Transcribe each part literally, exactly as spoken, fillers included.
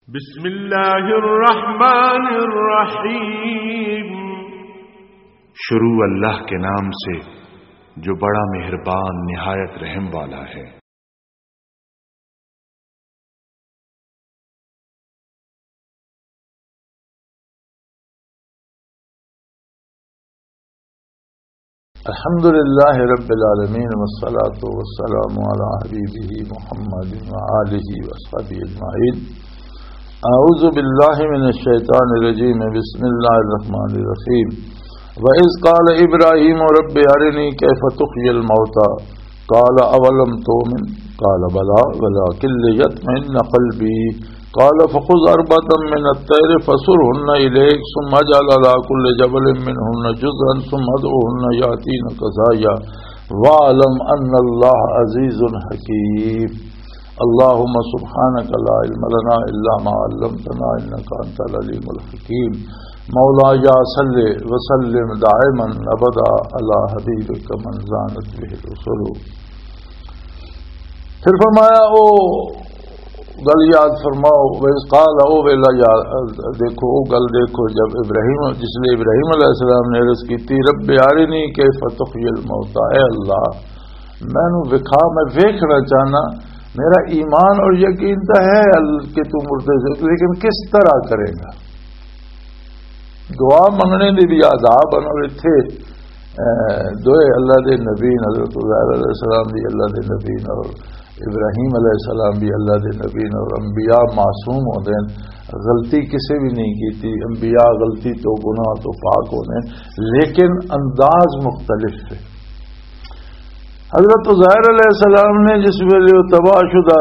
بسم اللہ الرحمن الرحیم۔ شروع اللہ کے نام سے جو بڑا مہربان نہایت رحم والا ہے۔ الحمد لله رب العالمين، والصلاة والسلام على حبيبه محمد وآله وأصحابه أجمعين. أعوذ بالله من الشيطان الرجيم. بسم الله الرحمن الرحيم. وإذ قال إبراهيم رب أرني كيف تحيي الموتى قال أولم تؤمن؟ قال بلى ولكن ليطمئن قلبي. قال فخذ أربعة من الطير فصرهن إليك ثم اجعل على كل جبل منهن جزءا ثم ادعهن يأتينك سعيا واعلم أن الله عزيز حكيم. اللهم سبحانك لا علم لنا إلا ما علمتنا إنك أنت العليم الحكيم. مولاي صل وسلم دائما أبدا على حبيبك من زانت به الرسل. پھر فرمایا، او گل یاد فرماؤ، وَإِذْ قَالَ، او ویلا یاد، دیکھو، او گل دیکھو، جب ابراہیم، جس لئے ابراہیم علیہ السلام نے عرض کی تھی، "رب ارنی کیف تحیی الموتى"، اے اللہ، مینوں وکھا، میں ویکھنا چاہنا، میرا ایمان اور یقین تو ہے ال-، کہ تو مردے سے، لیکن کس طرح کرے گا؟ دعا منگنے دے بھی آداب ہن۔ اور اتھے، اے، دوئے اللہ دے نبی، حضرت عزیر علیہ السلام بھی اللہ دے نبی اور ابراہیم علیہ السلام بھی اللہ دے نبی اور انبیاء معصوم ہوندے ہن، غلطی کسے بھی نہیں کیتی، انبیاء غلطی تو، گناہ تو پاک ہوندے ہن، لیکن انداز مختلف ہے۔ حضرت عزیر علیہ السلام نے جس ویلے وہ تباہ شدہ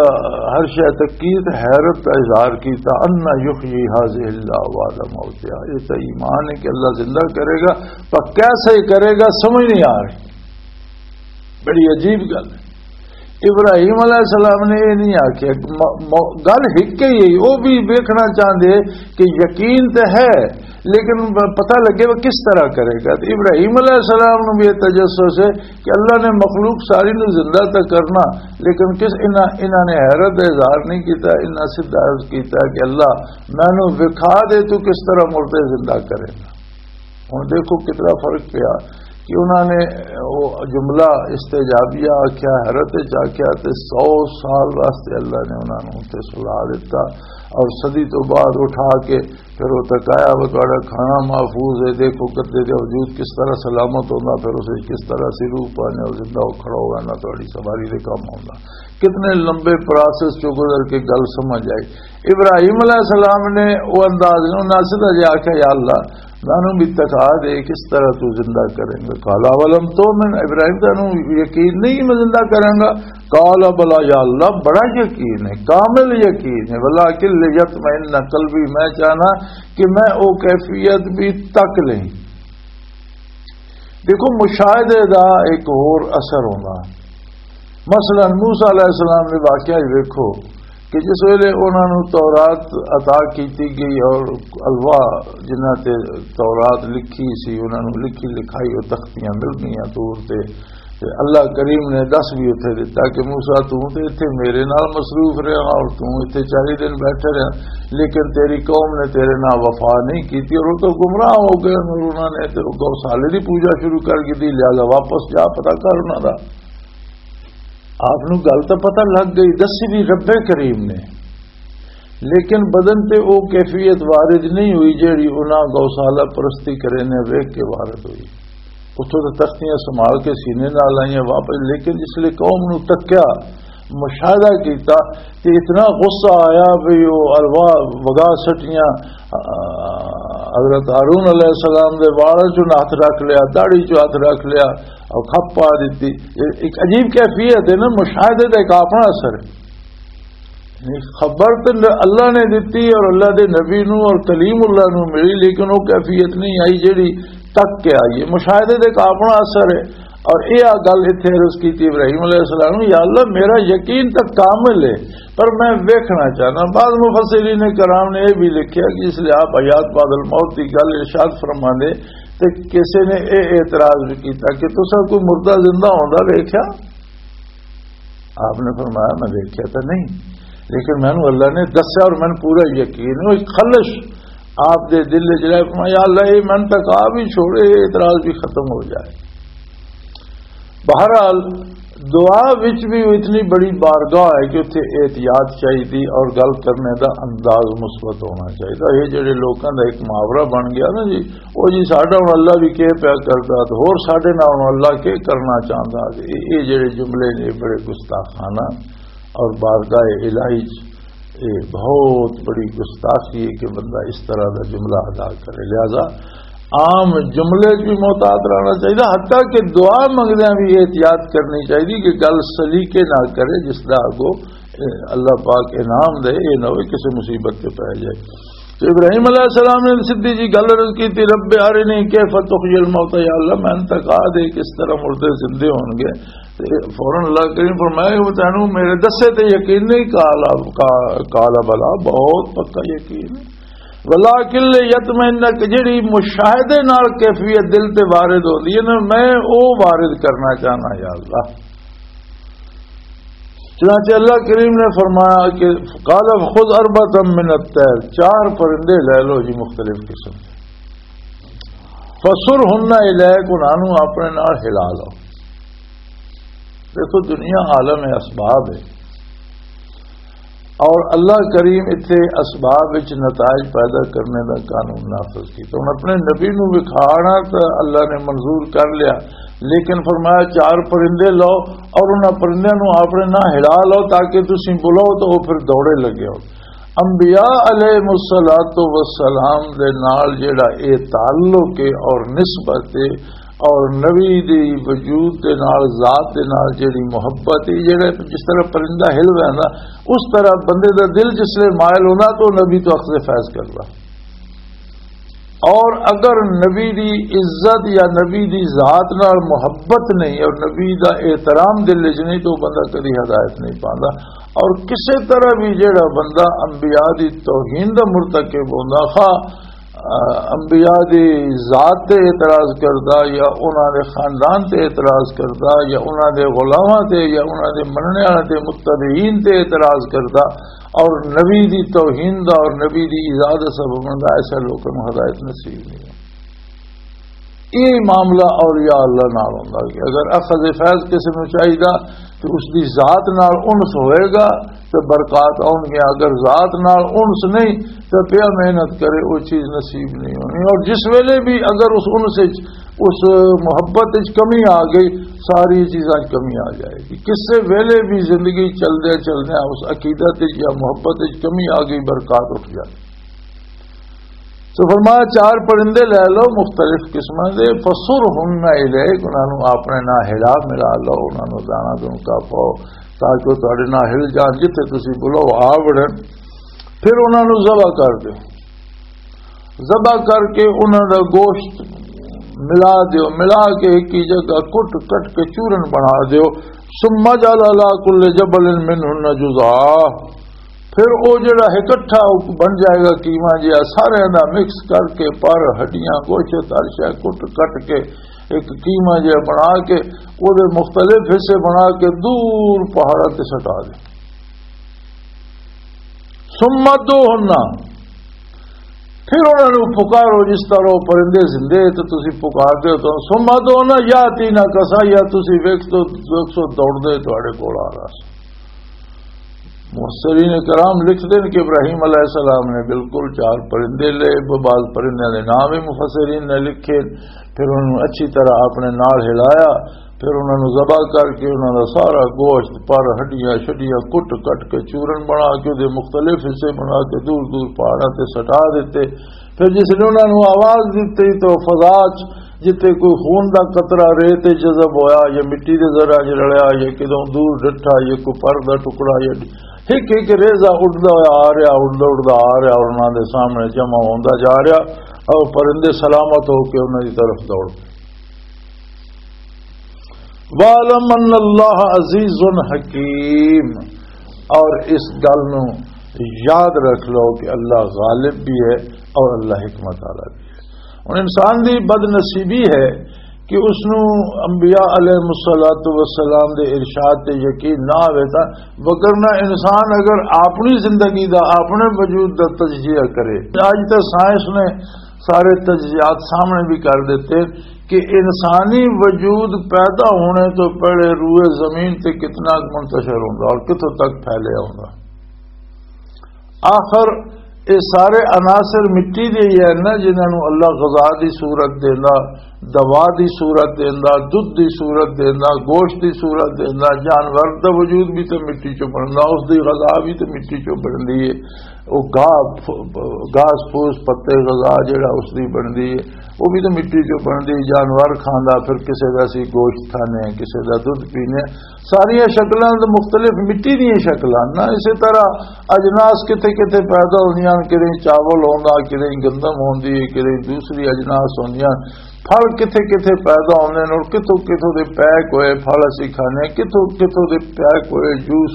ہر شے تک کی تے حیرت کا اظہار کیتا، "أَنَّىٰ يُحْيِي هَٰذِهِ اللَّهُ بَعْدَ مَوْتِهَا"، یہ تو ایمان ہے کہ اللہ زندہ کرے گا، پر کیسے کرے گا سمجھ نہیں آ رہی۔ بڑی عجیب گل ہے۔ ابراہیم علیہ السلام نے یہ نہیں آکھیا، م-، م-، گل ہک ہی ہے، وہ بھی ویکھنا چاہندے کہ یقین تے ہے، لیکن ب-، پتہ لگے وہ کس طرح کرے گا۔ تو ابراہیم علیہ السلام نو بھی یہ تجسس ہے کہ اللہ نے مخلوق ساری نو زندہ تو کرنا، لیکن کس انہاں، انہاں نے حیرت دا اظہار نہیں کیتا، انہاں سیدھا عرض کیتا کہ اللہ، مینوں وکھا دے تو کس طرح مردے زندہ کرے گا۔ ہن دیکھو کتنا فرق پیا کہ انہاں نے وہ جملہ استجابیہ آکھیا، حیرت وچ آکھیا، تے سو سال واسطے اللہ نے انہاں نوں تے سلا دتا، اور صدی تو بعد اٹھا کے پھر وہ تکایا، وہ تہاڈا کھانا محفوظ ہے، دیکھو کتے دے وجود کس طرح سلامت ہوندا، پھر اسے کس طرح سی روح پانے اور زندہ ہو کھڑا ہوگا، نہ تہاڈی سواری دے کام ہوندا۔ کتنے لمبے پروسیس چوں گزر کے گل سمجھ آئی۔ ابراہیم علیہ السلام نے وہ انداز نہیں، انہاں سیدھا جا کے، "یا اللہ، مینوں بھی تکا دے، کس طرح تو زندہ کریں گے؟" قال اولم تؤمن، ابراہیم، تینوں یقین نہیں میں زندہ کراں گا؟ قال بلا، یا اللہ، بڑا یقین ہے، کامل یقین ہے، ولکن لیطمئن قلبی، میں چاہنا کہ میں او کیفیت بھی تک لیں۔ دیکھو، مشاہدے دا ایک ہور اثر ہونا۔ مثلاً موسیٰ علیہ السلام دے واقعہ ہی ویکھو کہ جس ویلے انہاں نوں تورات عطا کیتی گئی اور الواح جنہاں تے تورات لکھی سی، انہاں نوں لکھی لکھائی او تختیاں مل گئیاں طور تے، تے اللہ کریم نے دس بھی اتھے دتا کہ موسیٰ، توں تے اتھے میرے نال مصروف رہیا اور توں اتھے چالی دن بیٹھے رہیا، لیکن تیری قوم نے تیرے نال وفا نہیں کیتی اور وہ تو گمراہ ہو گئے اور انہاں نے تے گوسالے دی پوجا شروع کر دی، لہذا واپس جا پتہ کر انہاں دا۔ آپ نوں گل تاں پتہ لگ گئی، دسی بھی رب کریم نے، لیکن بدن تے او کیفیت وارد نہیں ہوئی جیڑی انہاں گوسالہ پرستی کرے نے ویکھ کے وارد ہوئی۔ اتھوں تے تختیاں سنبھال کے سینے نال آئیاں واپس، لیکن جس لے قوم نوں تکیا، مشاہدہ کیتا، تے اتنا غصہ آیا بھی او الوا وگا سٹیاں، آ، حضرت ہارون علیہ السلام دے والاں چوں ہاتھ رکھ لیا، داڑھی چوں ہاتھ رکھ لیا، اور کھپ پا دتی۔ یہ ایک عجیب کیفیت ہے نا، مشاہدے دا ایک اپنا اثر ہے۔ یعنی خبر تے اللہ نے دتی اور اللہ دے نبی نو اور کلیم اللہ نو ملی، لیکن وہ کیفیت نہیں آئی جیڑی تک کے آئی ہے۔ مشاہدے دے ایک اپنا اثر ہے۔ اور یہ گل اتھے عرض کی تھی ابراہیم علیہ السلام نو، "یا اللہ، میرا یقین تک کامل ہے، پر میں ویکھنا چاہنا۔" بعض مفسرین کرام نے یہ بھی لکھیا کہ اس لیے آپ حیات بعد الموت کی گل ارشاد فرما دے، تے کسی نے یہ اعتراض بھی کیتا کہ تساں کوئی مردہ زندہ ہوندا ویکھیا؟ آپ نے فرمایا، "میں دیکھا تو نہیں۔" لیکن مینوں اللہ نے دسیا اور مینوں پورا یقین ہے، وہ ایک خلش آپ دے دل وچ رہ، فرمایا، "یا اللہ، یہ من تک آ بھی چھوڑے، یہ اعتراض بھی ختم ہو جائے۔" بہرحال، دعا وچ بھی وہ اتنی بڑی بارگاہ ہے کہ اتھے احتیاط چاہیے اور گل کرنے دا انداز مثبت ہونا چاہیے۔ یہ جڑے لوکاں دا ایک محاورہ بن گیا نا جی، "او جی، ساڈا ہن اللہ بھی کی پیا کردا، تے ہور ساڈے نال ہن اللہ کی کرنا چاہندا۔" یہ، یہ جڑے جملے نے، بڑے گستاخانہ اور بارگاہ الہی چ یہ بہت بڑی گستاخی ہے کہ بندہ اس طرح دا جملہ ادا کرے۔ لہذا عام جملے چ بھی محتاط رہنا چاہیے، حتیٰ کہ دعا منگدیاں بھی احتیاط کرنی چاہیے کہ گل سلیقے نہ کرے، جس دا اگو، اے، اللہ پاک انعام دے، یہ نہ ہوئے کسی مصیبت تے پے جائے۔ تو ابراہیم علیہ السلام نے سیدھی جی گل عرض کی تھی، "رب ارنی کیف تحیی الموتى"، یا اللہ، میں تک آ دے کس طرح مردے زندے ہون گے۔ تے فوراً اللہ کریم فرمایا کہ وہ تینوں میرے دسے تے یقین نہیں، قال، قال بلا، بہت پکا یقین ہے۔ ولیکن لیطمئن، کہ جڑی مشاہدے نال کیفیت دل تے وارد ہوندی ہے نا، میں او وارد کرنا چاہنا یا اللہ۔ چنانچہ اللہ کریم نے فرمایا کہ قال خذ اربعة من الطير، چار پرندے لے لو جی مختلف قسم دے، فصرهن اليك، انہاں نوں اپنے نال ہلا لو۔ دیکھو، دنیا عالم اسباب ہے، اور اللہ کریم اتنے اسباب وچ نتائج پیدا کرنے دا قانون نافذ کیتا۔ ہن اپنے نبی نوں وکھانا تے اللہ نے منظور کر لیا، لیکن فرمایا، "چار پرندے لو اور انہاں پرندیاں نوں اپنے نال ہلا لو، تاکہ تسی بلاؤ تو وہ پھر دوڑے لگے ہو۔" انبیاء علیہ الصلوۃ والسلام دے نال جڑا اے تعلق ہے اور نسبت ہے، اور نبی دی وجود دے نال، ذات دے نال جڑی محبت ہے، جڑے جس طرح پرندہ ہل ویندا، اس طرح بندے دا دل جس لے مائل ہوندا تو نبی تو اخذ فیض کردا۔ اور اگر نبی دی عزت یا نبی دی ذات نال محبت نہیں اور نبی دا احترام دل وچ نہیں، تو بندہ کدی ہدایت نہیں پاندا۔ اور کسے طرح بھی جڑا بندہ انبیاء دی توہین دا مرتکب ہوندا، خواہ، آ، انبیاء دی ذات تے اعتراض کردا یا انہاں دے خاندان تے اعتراض کردا یا انہاں دے غلاماں تے یا انہاں دے مننے والے تے، متبعین تے اعتراض کردا، اور نبی دی توہین دا اور نبی دی ایذا دا سبب بندا، ایسا لوکاں نوں ہدایت نصیب نہیں۔ یہ معاملہ اولیاء اللہ نال ہوندا کہ اگر اخذ فیض کسی نوں چاہیدا تو اس دی ذات نال انس ہوئے گا تو برکات آؤن گیا، اگر ذات نال انس نہیں تو پیا محنت کرے، وہ چیز نصیب نہیں ہونی۔ اور جس ویلے بھی اگر اس انس وچ، اس محبت وچ کمی آ گئی، ساری چیزاں وچ کمی آ جائے گی۔ کسے ویلے بھی زندگی چلدے چلدے اس عقیدت وچ یا محبت وچ کمی آ گئی، برکات اٹھ جائے۔ تو فرمایا، چار پرندے لے لو مختلف قسماں دے، فصرهن اليك، انہاں نوں اپنے نال ہلا ملا لو، انہاں نوں دانا دونکا پاؤ، تاکہ وہ تہاڈے نال ہل جان، جتھے تسی بلاؤ آ وڑن۔ پھر انہاں نوں ذبح کر دیو، ذبح کر کے انہاں دا گوشت ملا دیو، ملا کے ایک ہی جگہ کٹ کٹ کے چورن بنا دیو۔ ثم اجعل على كل جبل منهن جزءا، پھر او جڑا اکٹھا بن جائے گا قیمہ جہا، سارے دا مکس کر کے، پر، ہڈیاں، گوشت، ہر شے کٹ کٹ کے ایک قیمہ جہا بنا کے او دے مختلف حصے بنا کے دور پہاڑاں تے سٹا دے۔ ثم ادعوهن، پھر انہاں نوں پکارو، جس طرح وہ پرندے زندے تے تسی پکار دے ہو، ثم ادعوهن يأتينك سعيا، تسی ویکھ تو، ویکھ سو دوڑ دے تہاڈے کول آ رہا سی۔ مفسرین کرام لکھتے ہیں کہ ابراہیم علیہ السلام نے بالکل چار پرندے لے، بعض پرندے دے نام بھی مفسرین نے لکھے، پھر انہوں نے اچھی طرح اپنے نال ہلایا، پھر انہوں نے ذبح کر کے انہوں نے سارا گوشت، پر، ہڈیاں شڈیاں کٹ کٹ کے چورن بنا کے، دے مختلف حصے بنا کے دور دور پہاڑاں تے سٹا دیتے۔ پھر جس نے انہوں نے آواز دیتی تو فضا چ جتھے کوئی خون دا قطرہ ریت تے جذب ہویا یا مٹی دے ذرہ چ رلیا یا کدوں دور ڈٹھا یا کوئی پر دا ٹکڑا یا ایک ایک ریزہ اڑدا ہویا آ رہیا، اڑدا اڑدا آ رہیا اور انہاں دے سامنے جمع ہوندا جا رہیا اور پرندے سلامت ہو کے انہاں دی طرف دوڑ پئے۔ وَاعْلَمْ أَنَّ اللَّهَ عَزِيزٌ حَكِيمٌ، اور اس گل نو یاد رکھ لو کہ اللہ غالب بھی ہے اور اللہ حکمت والا بھی ہے۔ ہن انسان دی بد نصیبی ہے کہ اس نوں انبیاء علیہ الصلوۃ والسلام دے ارشاد تے یقین نہ ہوئے تاں، وگرنہ انسان اگر اپنی زندگی دا، اپنے وجود دا تجزیہ کرے۔ اج تے سائنس نے سارے تجزیات سامنے بھی کر دیتے کہ انسانی وجود پیدا ہونے تو پہلے روئے زمین تے کتنا منتشر ہوندا اور کتھوں تک پھیلیا ہوندا۔ آخر اے سارے عناصر مٹی دے ہی ہن نا، جنہاں نوں اللہ غذا دی صورت دیندا، دوا دی صورت دیندا، دودھ دی صورت دیندا، گوشت دی صورت دیندا۔ جانور دا وجود بھی تے مٹی چوں بندا، اس دی غذا بھی تے مٹی چوں بندی ہے۔ او گھاہ، گھاس پھوس، پتے، غذا جڑا اس دی بندی ہے، وہ بھی تے مٹی چوں بندی۔ جانور کھاندا، پھر کسے دا اسی گوشت کھانے ہیں، کسے دا دودھ پینے ہیں۔ ساریاں شکلاں تے مختلف مٹی دیاں شکلاں نا۔ اسی طرح اجناس کتھے کتھے پیدا ہوندیاں، کدے چاول ہوندا، کدے گندم ہوندی ہے، کدے دوسری اجناس ہوندیاں۔ پھل کتھے کتھے پیدا ہوندے نے اور کتھوں کتھوں دے پیک ہوئے پھل اسی کھانے، کتھوں کتھوں دے پیک ہوئے جوس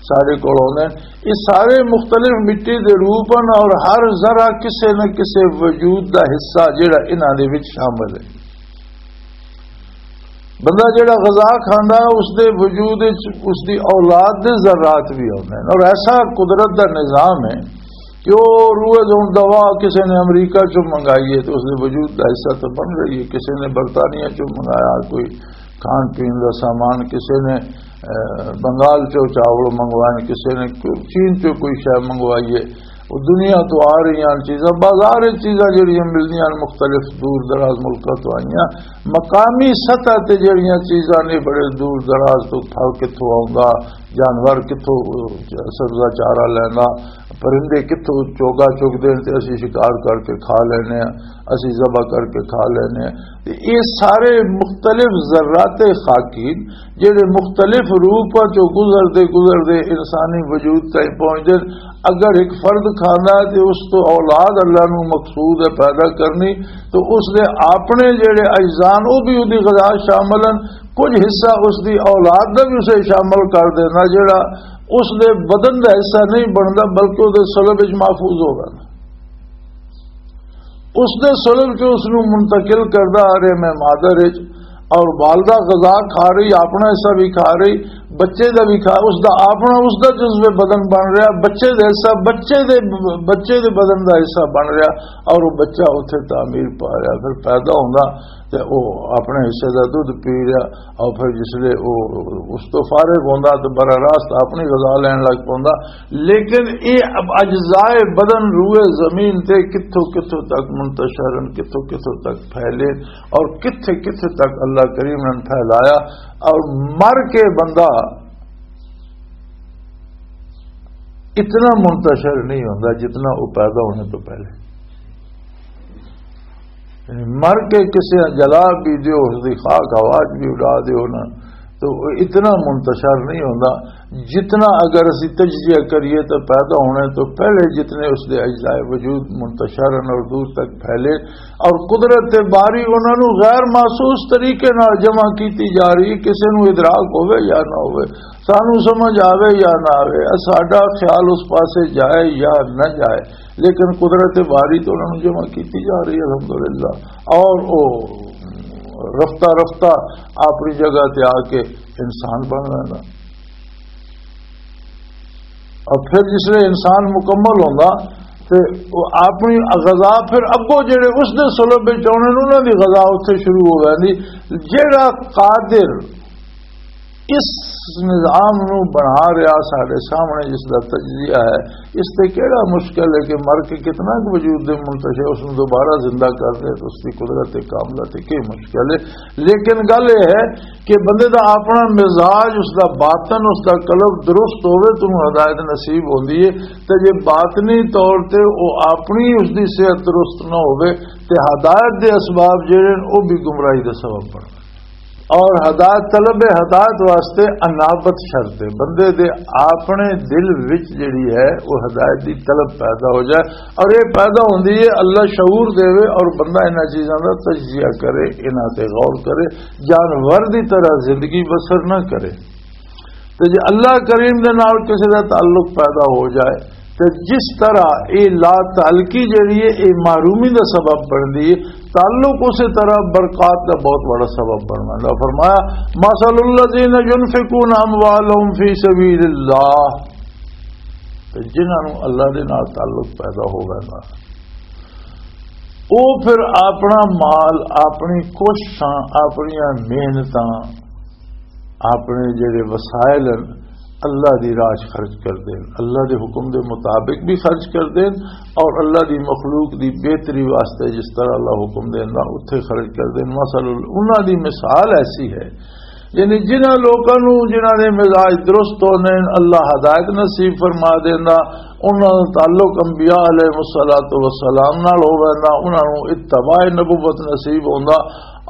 سارے کول ہوندے نے۔ یہ سارے مختلف مٹی دے روپ ہیں اور ہر ذرہ کسے نہ کسے وجود دا حصہ جڑا انہاں دے وچ شامل ہے۔ بندہ جڑا غذا کھاندا ہے، اس دے وجود وچ اس دی اولاد دے ذرات بھی ہوندے ہیں۔ اور ایسا قدرت دا نظام ہے کہ وہ روئے زون دوا کسی نے امریکہ چوں منگائی ہے تو اس دے وجود دا حصہ تو بن رہی ہے، کسی نے برطانیہ چوں منگایا کوئی کھان پین دا سامان، کسی نے، اے، بنگال چوں چاول منگوائے، کسی نے کوئی چین چوں کوئی شے منگوائی ہے، وہ دنیا تو آ رہی ہیں چیزاں، بازار وچ چیزاں جڑیاں ملدیاں ہن مختلف دور دراز ملکاں تو آئیاں۔ مقامی سطح تے جڑیاں چیزاں نے بڑے دور دراز تو پھل کتھوں آوندا، جانور کتھوں سبزہ چارہ لیندا، پرندے کتھوں چوگا چگدے نے تے اسی شکار کر کے کھا لینے ہیں، اسی ذبح کر کے کھا لینے ہیں۔ تے یہ سارے مختلف ذرات خاکی جڑے مختلف روپاں چوں گزردے گزردے انسانی وجود تائیں پہنچدے نے۔ اگر ایک فرد کھاندا ہے تے اس تو اولاد اللہ نو مقصود ہے پیدا کرنی، تو اس دے اپنے جڑے اجزاء نے، او بھی اودی غذا شامل ہیں۔ کچھ حصہ اس دی اولاد دا بھی اسے شامل کر دینا، جڑا اس دے بدن دا حصہ نہیں بندا، بلکہ او دے صلب وچ محفوظ ہوگا۔ اس دے صلب چوں اس نوں منتقل کردا آ رہے میں مادر وچ، اور والدہ غذا کھا رہی، اپنا حصہ بھی کھا رہی، بچے دا بھی کھا، اس دا اپنا، اس دا جزو بدن بن رہا، بچے دے حصہ، بچے دے، بچے دے بدن دا حصہ بن رہا، اور وہ بچہ اتھے تعمیر پا رہا، پھر پیدا ہوندا تے وہ اپنے حصے دا دودھ پی رہا، اور پھر جس لے وہ اس تو فارغ ہوندا تے براہ راست اپنی غذا لین لگ پوندا۔ لیکن یہ اب اجزائے بدن روئے زمین تے کتھوں کتھوں تک منتشر ہیں، کتھوں کتھوں تک پھیلے اور کتھے کتھے تک اللہ کریم نے پھیلایا۔ اور مر کے بندہ اتنا منتشر نہیں ہوندا جتنا وہ پیدا ہونے تو پہلے۔ یعنی مر کے کسے جلا بھی دیو، اس دی خاک آواز بھی اڑا دیو نا، تو وہ اتنا منتشر نہیں ہوندا۔ جتنا اگر اسی تجزیہ کریے تو پیدا ہونے تو پہلے جتنے اس دے اجزائے وجود منتشر ہیں اور دور تک پھیلے، اور قدرت باری انہاں نوں غیر محسوس طریقے نال جمع کیتی جا رہی، کسے نوں ادراک ہوے یا نہ ہوے، سانوں سمجھ آوے یا نہ آوے، ساڈا خیال اس پاسے جائے یا نہ جائے، لیکن قدرت باری تو انہاں نوں جمع کیتی جا رہی ہے، الحمدللہ۔ اور وہ رفتہ رفتہ اپنی جگہ تے آ کے انسان بن رہا۔ اور پھر جس ویلے انسان مکمل ہوندا تے وہ اپنی غذا پھر اگوں جڑے اس دے سلب وچ آنے نے، انہاں دی غذا اتھے شروع ہو جاندی۔ جڑا قادر اس نظام نو بنا رہا ساڈے سامنے، جس دا تجزیہ ہے، اس تے کیڑا مشکل ہے کہ مر کے کتنا کُ وجود دے منتشر اس نو دوبارہ زندہ کر دے، تو اس دی قدرت کاملہ تے کی مشکل ہے؟ لیکن گل یہ ہے کہ بندے دا اپنا مزاج، اس دا باطن، اس دا قلب درست ہوے، تو ہدایت نصیب ہوندی ہے۔ تے جے باطنی طور تے او اپنی اس دی صحت درست نہ ہوے، تے ہدایت دے اسباب جڑے نے، او بھی گمراہی دا سبب بن۔ اور ہدایت، طلب ہدایت واسطے انابت شرط ہے، بندے دے اپنے دل وچ جڑی ہے، وہ ہدایت دی طلب پیدا ہو جائے۔ اور یہ پیدا ہوندی ہے، اللہ شعور دے اور بندہ انہاں چیزاں دا تجزیہ کرے، انہاں تے غور کرے، جانور دی طرح زندگی بسر نہ کرے۔ تے جے اللہ کریم دے نال کسے دا تعلق پیدا ہو جائے، تے جس طرح اے لا تعلقی جڑی ہے، اے محرومی دا سبب بندی ہے، تعلق اسی طرح برکات دا بہت بڑا سبب بندا۔ فرمایا، مثل الذین ينفقون اموالهم فی سبیل اللہ، تے جنہاں نوں اللہ دے نال تعلق پیدا ہو ویندا، او پھر اپنا مال، اپنی کوششاں، اپنیاں محنتاں، اپنے جڑے وسائل ہیں، اللہ دی راہ 'چ خرچ کر دین، اللہ دے حکم دے مطابق بھی خرچ کر دین، اور اللہ دی مخلوق دی بہتری واسطے جس طرح اللہ حکم دیندا، اتھے خرچ کر دین۔ مثل، انہاں دی مثال ایسی ہے، یعنی جنہاں لوکاں نوں، جنہاں دے مزاج درست ہوندے نے، اللہ ہدایت نصیب فرما دیندا، انہاں دا تعلق انبیاء علیہ الصلوۃ والسلام نال ہو ویندا، انہاں نوں اتباع نبوت نصیب ہوندا۔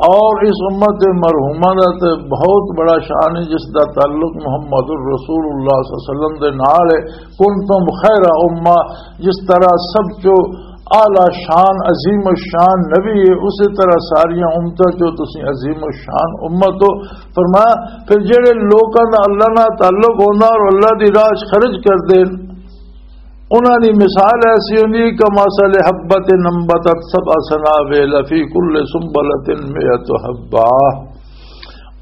اور اس امت مرحومہ دا تے بہت بڑا شان ہے، جس دا تعلق محمد الرسول اللہ صلی اللہ علیہ وسلم دے نال ہے۔ کنتم خیر امہ، جس طرح سب چو اعلی شان، عظیم الشان نبی ہے، اسی طرح ساریاں امتاں چو تسی عظیم الشان امت ہو۔ فرمایا، پھر جڑے لوکاں دا اللہ نال تعلق ہوندا اور اللہ دی راہ 'چ خرچ کردے، انہاں دی مثال ایسی ہوندی، کمثل حبۃ انبتت سبع سنابل فی کل سنبلۃ مئۃ حبۃ۔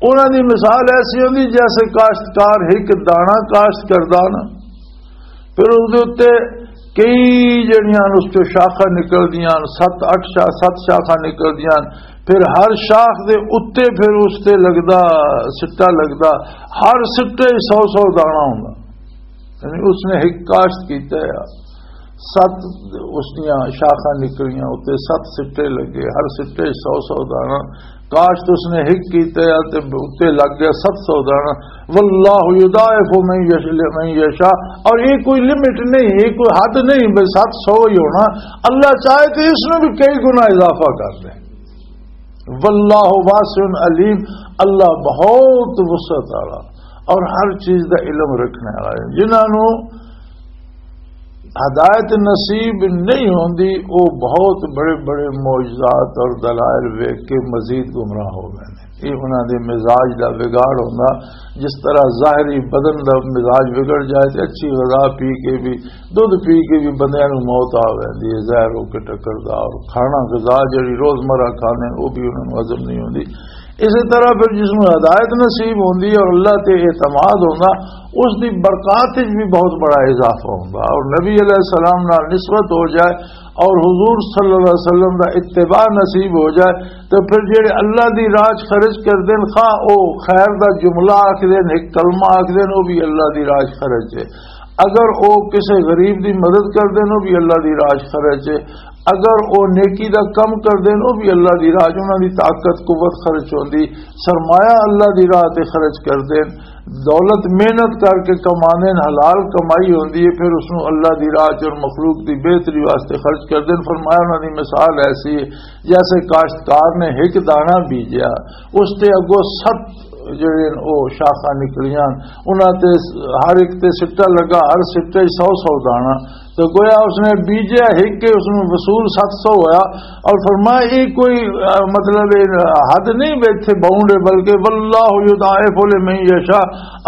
انہاں دی مثال ایسی ہوندی جیسے کاشتکار ایک دانا کاشت کردا نا، پھر اس دے اُتے کئی جڑیاں اس چوں شاخاں نکلدیاں، ست اٹھ شا-، ست شاخاں نکلدیاں، پھر ہر شاخ دے اُتے پھر اس تے لگدا، سٹا لگدا، ہر سٹے سو سو دانا ہوندا۔ یعنی اس نے ایک کاشت کیتا ہے، ست اس دیاں شاخاں نکلیاں، اُتے ست سٹے لگے، ہر سٹے سو سو دانا۔ کاشت اس نے ایک کیتا ہے تے اُتے لگ گیا ست سو دانا۔ واللہ یضاعف من یش-، لمن یشاء، اور یہ کوئی لمٹ نہیں، یہ کوئی حد نہیں بھئی ست سو ہی ہونا۔ اللہ چاہے تو اس میں بھی کئی گنا اضافہ کر دے۔ واللہ واسع علیم، اللہ بہت وسعت والا اور ہر چیز دا علم رکھنے والا ہے۔ جنہاں نوں ہدایت نصیب نہیں ہوندی، وہ بہت بڑے بڑے معجزات اور دلائل ویکھ کے مزید گمراہ ہو گئے نے۔ یہ انہاں دے مزاج دا بگاڑ ہوندا۔ جس طرح ظاہری بدن دا مزاج بگڑ جائے تے اچھی غذا پی کے بھی، دودھ پی کے بھی بندیاں نوں موت آ ویندی ہے، زہر ہو کے ٹکردا، اور کھانا غذا جڑی روزمرہ کھانے وہ بھی انہاں نوں ہضم نہیں ہوندی۔ اسی طرح پھر جس نوں ہدایت نصیب ہوندی ہے اور اللہ تے اعتماد ہوندا، اس دی برکات وچ بھی بہت بڑا اضافہ ہوندا، اور نبی علیہ السلام نال نسبت ہو جائے اور حضور صلی اللہ علیہ وسلم دا اتباع نصیب ہو جائے، تو پھر جڑے اللہ دی راہ 'چ خرچ کر دین، خواہ او خیر دا جملہ آکھ دین، ایک کلمہ آکھ دین، او بھی اللہ دی راہ 'چ خرچ ہے۔ اگر او کسے غریب دی مدد کر دین، او بھی اللہ دی راہ 'چ خرچ ہے۔ اگر او نیکی دا کم کر دین، او بھی اللہ دی راہ 'چ، انہاں دی طاقت قوت خرچ ہوندی، سرمایہ اللہ دی راہ تے خرچ کر دین، دولت محنت کر کے کمانے نے، حلال کمائی ہوندی ہے، پھر اس نوں اللہ دی راہ 'چ اور مخلوق دی بہتری واسطے خرچ کر دین۔ فرمایا، انہاں دی مثال ایسی ہے جیسے کاشتکار نے ایک دانہ بیجیا، اس تے اگوں ست جڑے نے او شاخاں نکلیاں، انہاں تے ہر ایک تے سٹا لگا، ہر سٹے 'چ سو سو دانہ۔ تو گویا اس نے بیجیا ایک کے، اس میں وصول ست سو ہویا۔ اور فرمایا، یہ کوئی، آ، مطلب، یہ حد نہیں بھی اتھے باؤنڈ ہے، بلکہ واللہ یضاعف لمن یشاء،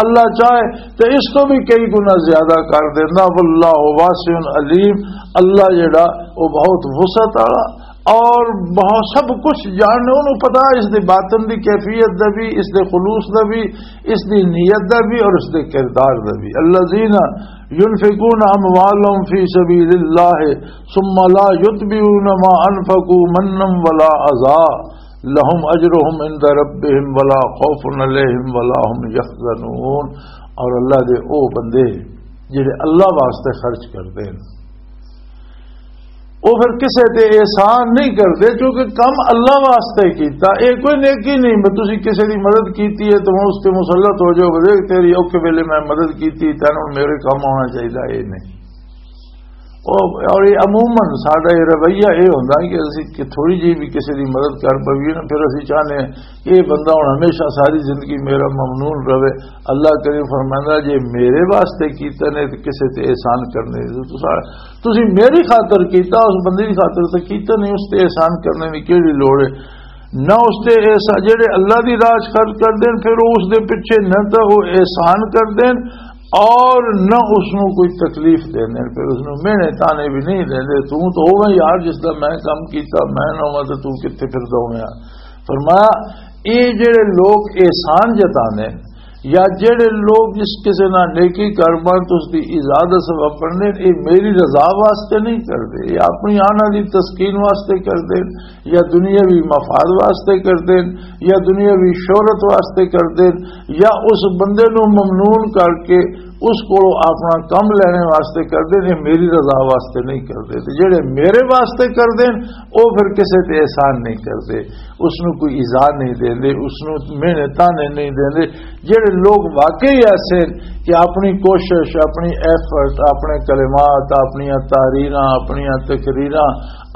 اللہ چاہے تو اس تو بھی کئی گنا زیادہ کر دینا۔ واللہ واسع علیم، اللہ جڑا وہ بہت وسعت والا اور بہت سب کچھ جاننے، انہوں پتا اس دے باطن دی کیفیت دا بھی، اس دے خلوص دا بھی، اس دی نیت دا بھی اور اس دے کردار دا بھی۔ الذین ينفقون أموالهم في سبيل الله ثم لا يتبعون ما أنفقوا منا ولا أذى لهم أجرهم عند ربهم ولا خوف عليهم ولا هم يحزنون۔ اور اللہ دے او بندے جڑے اللہ واسطے خرچ کردے ہیں، وہ پھر کسے تے احسان نہیں کردے، کیونکہ کم اللہ واسطے کیتا۔ یہ کوئی نیکی نہیں، میں تسی کسے دی مدد کیتی ہے تو میں اس تے مسلط ہو جاؤ، دیکھ تیری اوکھے ویلے میں مدد کیتی، تینوں میرے کم آنا چاہیے، یہ نہیں۔ اور یہ عموماً ساڈا یہ رویہ یہ ہوندا کہ اسی کہ تھوڑی جی بھی کسے دی مدد کر پویے نا، پھر اسی چاہنے ہیں کہ یہ بندہ ہن ہمیشہ ساری زندگی میرا ممنون رہے۔ اللہ کریم فرمائندا، جے میرے واسطے کیتا نے تے کسے تے احسان کرنے دی، تساں، تسی میری خاطر کیتا، اس بندے دی خاطر تے کیتا نہیں، اس تے احسان کرنے دی کیڑی لوڑ ہے؟ نہ اس تے احسان، جڑے اللہ دی راہ 'چ خرچ کر دین، پھر وہ اس دے پیچھے نہ تو وہ احسان کر دین، اور نہ اس نوں کوئی تکلیف دیندے، پھر اس نوں مہنے تانے بھی نہیں دیندے۔ توں تو ہوویں یار، جس دا میں کم کیتا، میں نہ ہوواں تے توں کتھے پھردا ہوویں؟ فرمایا، اے جڑے لوگ احسان جتاندے یا جڑے لوگ جس کسے نال نیکی کر بن تے اس دی ایزا دا سبب بننے، اے میری رضا واسطے نہیں کردے، اے اپنی آناں دی تسکین واسطے کردے، یا دنیاوی مفاد واسطے کردے، یا دنیاوی شہرت واسطے کردے، یا اس بندے نوں ممنون کر کے اس کولوں اپنا کم لینے واسطے کردے، اے میری رضا واسطے نہیں کردے۔ تے جڑے میرے واسطے کردے، او پھر کسے تے احسان نہیں کردے، اس نوں کوئی ایزا نہیں دیندے، اس نوں مہنے تانے نہیں دیندے۔ جڑے لوگ واقعی ایسے کہ اپنی کوشش، اپنی ایفرٹ، اپنے کلمات، اپنیاں تحریراں، اپنیاں تقریراں،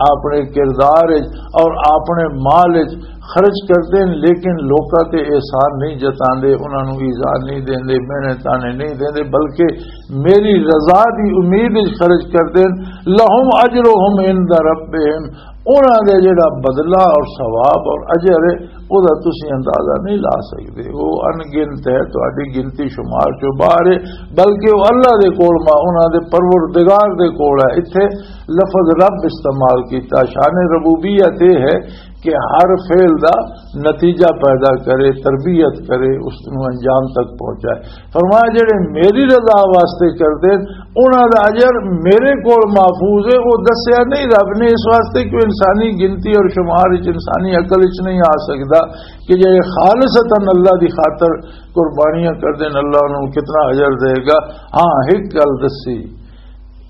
اپنے کردار وچ اور اپنے مال وچ خرچ کردے نے، لیکن لوکاں تے احسان نہیں جتاندے، انہاں نوں ایزا نہیں دیندے، مہنے تانے نہیں دیندے، بلکہ میری رضا دی امید وچ خرچ کردے نے۔ لہم اجرہم عند ربہم، انہاں دے جڑا بدلہ اور ثواب اور اجر ہے، او دا تسی اندازہ نہیں لا سکدے۔ او ان گنت ہے، تہاڈی گنتی شمار چوں باہر ہے، بلکہ او اللہ دے کول، ما انہاں دے پروردگار دے کول ہے۔ اتھے لفظ رب استعمال کیتا، شان ربوبیت یہ ہے کہ ہر فعل دا نتیجہ پیدا کرے، تربیت کرے، اس نوں انجام تک پہنچائے۔ فرمایا، جڑے میری رضا واسطے کردے، انہاں دا اجر میرے کول محفوظ ہے۔ وہ دسیا نہیں رب نے، اس واسطے کہ انسانی گنتی اور شمار وچ، انسانی عقل وچ نہیں آ سکدا کہ جڑے خالصتاً اللہ دی خاطر قربانیاں کردے نے، اللہ انہاں نوں کتنا اجر دے گا۔ ہاں، ایک گل دسی،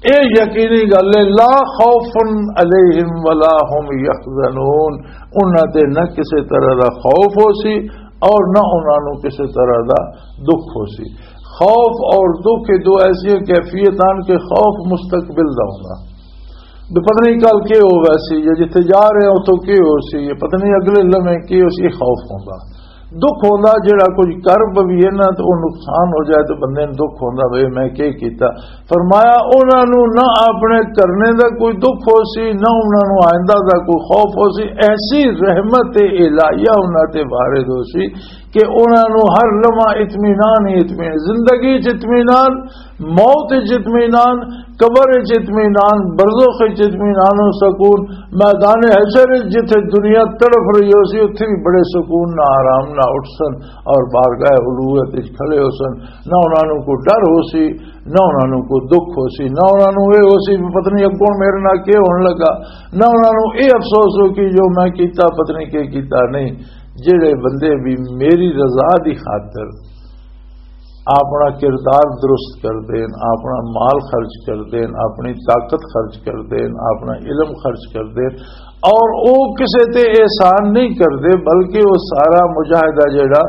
اے یقینی گل ہے، لا خوف علیہم ولا هم یحزنون، انہاں تے نہ کسے طرح دا خوف ہو سی اور نہ انہاں نوں کسے طرح دا دکھ ہو سی۔ خوف اور دکھ، یہ دو ایسی کیفیت ہیں کہ خوف مستقبل دا ہوندا، بھی پتہ نہیں کل کی ہو ویسی، یا جتھے جا رہے ہو تو کی ہو سی، یا پتہ نہیں اگلے لمحے کی ہو سی، یہ خوف ہوندا۔ دکھ ہوندا، جڑا کچھ کرب بھی ہے نا، تو وہ نقصان ہو جائے تو بندے نوں دکھ ہوندا، بھئی میں کی کیتا۔ فرمایا، انہاں نوں نہ اپنے کرنے دا کوئی دکھ ہو سی، نہ انہاں نوں آئندہ دا کوئی خوف ہو سی۔ ایسی رحمت الہیہ انہاں تے وارد ہو سی کہ انہاں نوں ہر لمحہ اطمینان ہی اطمینان، زندگی چ اطمینان، موت وچ اطمینان، قبر وچ اطمینان، برزخ وچ اطمینان و سکون، میدان حشر وچ جتھے دنیا تڑف رہی ہو سی، اتھے بھی بڑے سکون نہ آرام نہ اٹھ سن اور بارگاہ الوہیت وچ کھڑے ہو سن۔ نہ انہاں نوں کوئی ڈر ہو سی، نہ انہاں نوں کوئی دکھ ہو سی، نہ انہاں نوں اے ہو سی بھی پتہ نہیں اگوں میرے نال کی ہون لگا، نہ انہاں نوں اے افسوس ہو کہ جو میں کیتا پتہ نہیں کی کیتا نہیں۔ جڑے بندے بھی میری رضا دی خاطر اپنا کردار درست کر دین، اپنا مال خرچ کر دین، اپنی طاقت خرچ کر دین، اپنا علم خرچ کر دین، اور او کسے تے احسان نہیں کردے، بلکہ وہ سارا مجاہدہ جڑا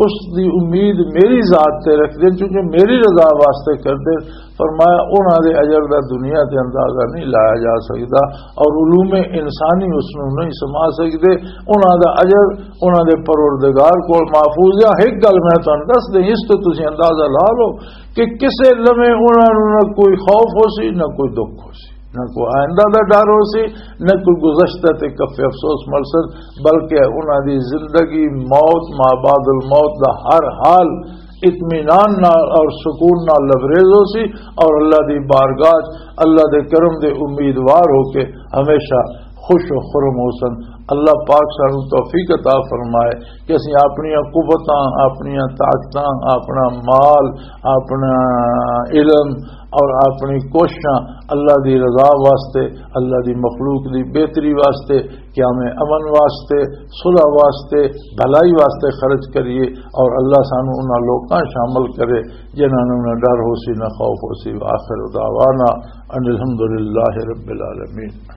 اس دی امید میری ذات تے رکھ دین، چونکہ میری رضا واسطے کر دین۔ فرمایا، انہاں دے اجر دا دنیا تے اندازہ نہیں لایا جا سکدا، اور علوم انسانی اس نوں نہیں سما سکدے۔ انہاں دا اجر انہاں دے پروردگار کول محفوظ ہے۔ ایک گل میں تانوں دس دیں، اس تو تسی اندازہ لا لو کہ کسے لمحے انہاں نوں نہ کوئی خوف ہو سی، نہ کوئی دکھ ہو سی، نہ کوئی آئندہ دا ڈر ہو سی، نہ کوئی گزشتہ تے کف افسوس مل سن، بلکہ انہاں دی زندگی، موت، ما بعد الموت دا ہر حال اطمینان نال اور سکون نال لبریز ہو سی، اور اللہ دی بارگاہ چ، اللہ دے کرم دے امیدوار ہو کے ہمیشہ خوش و خرم ہو سن۔ اللہ پاک سانو توفیق عطا فرمائے کہ اسی اپنی قوتاں، اپنی طاقتاں، اپنا مال، اپنا علم اور اپنی کوششاں اللہ دی رضا واسطے، اللہ دی مخلوق دی بہتری واسطے، قیام امن واسطے، صلح واسطے، بھلائی واسطے خرچ کریے، اور اللہ سانو انہاں لوکاں شامل کرے جنہاں نوں نہ ڈر ہو سی، نہ خوف ہو سی۔ وآخر دعوانا ان الحمدللہ رب العالمین۔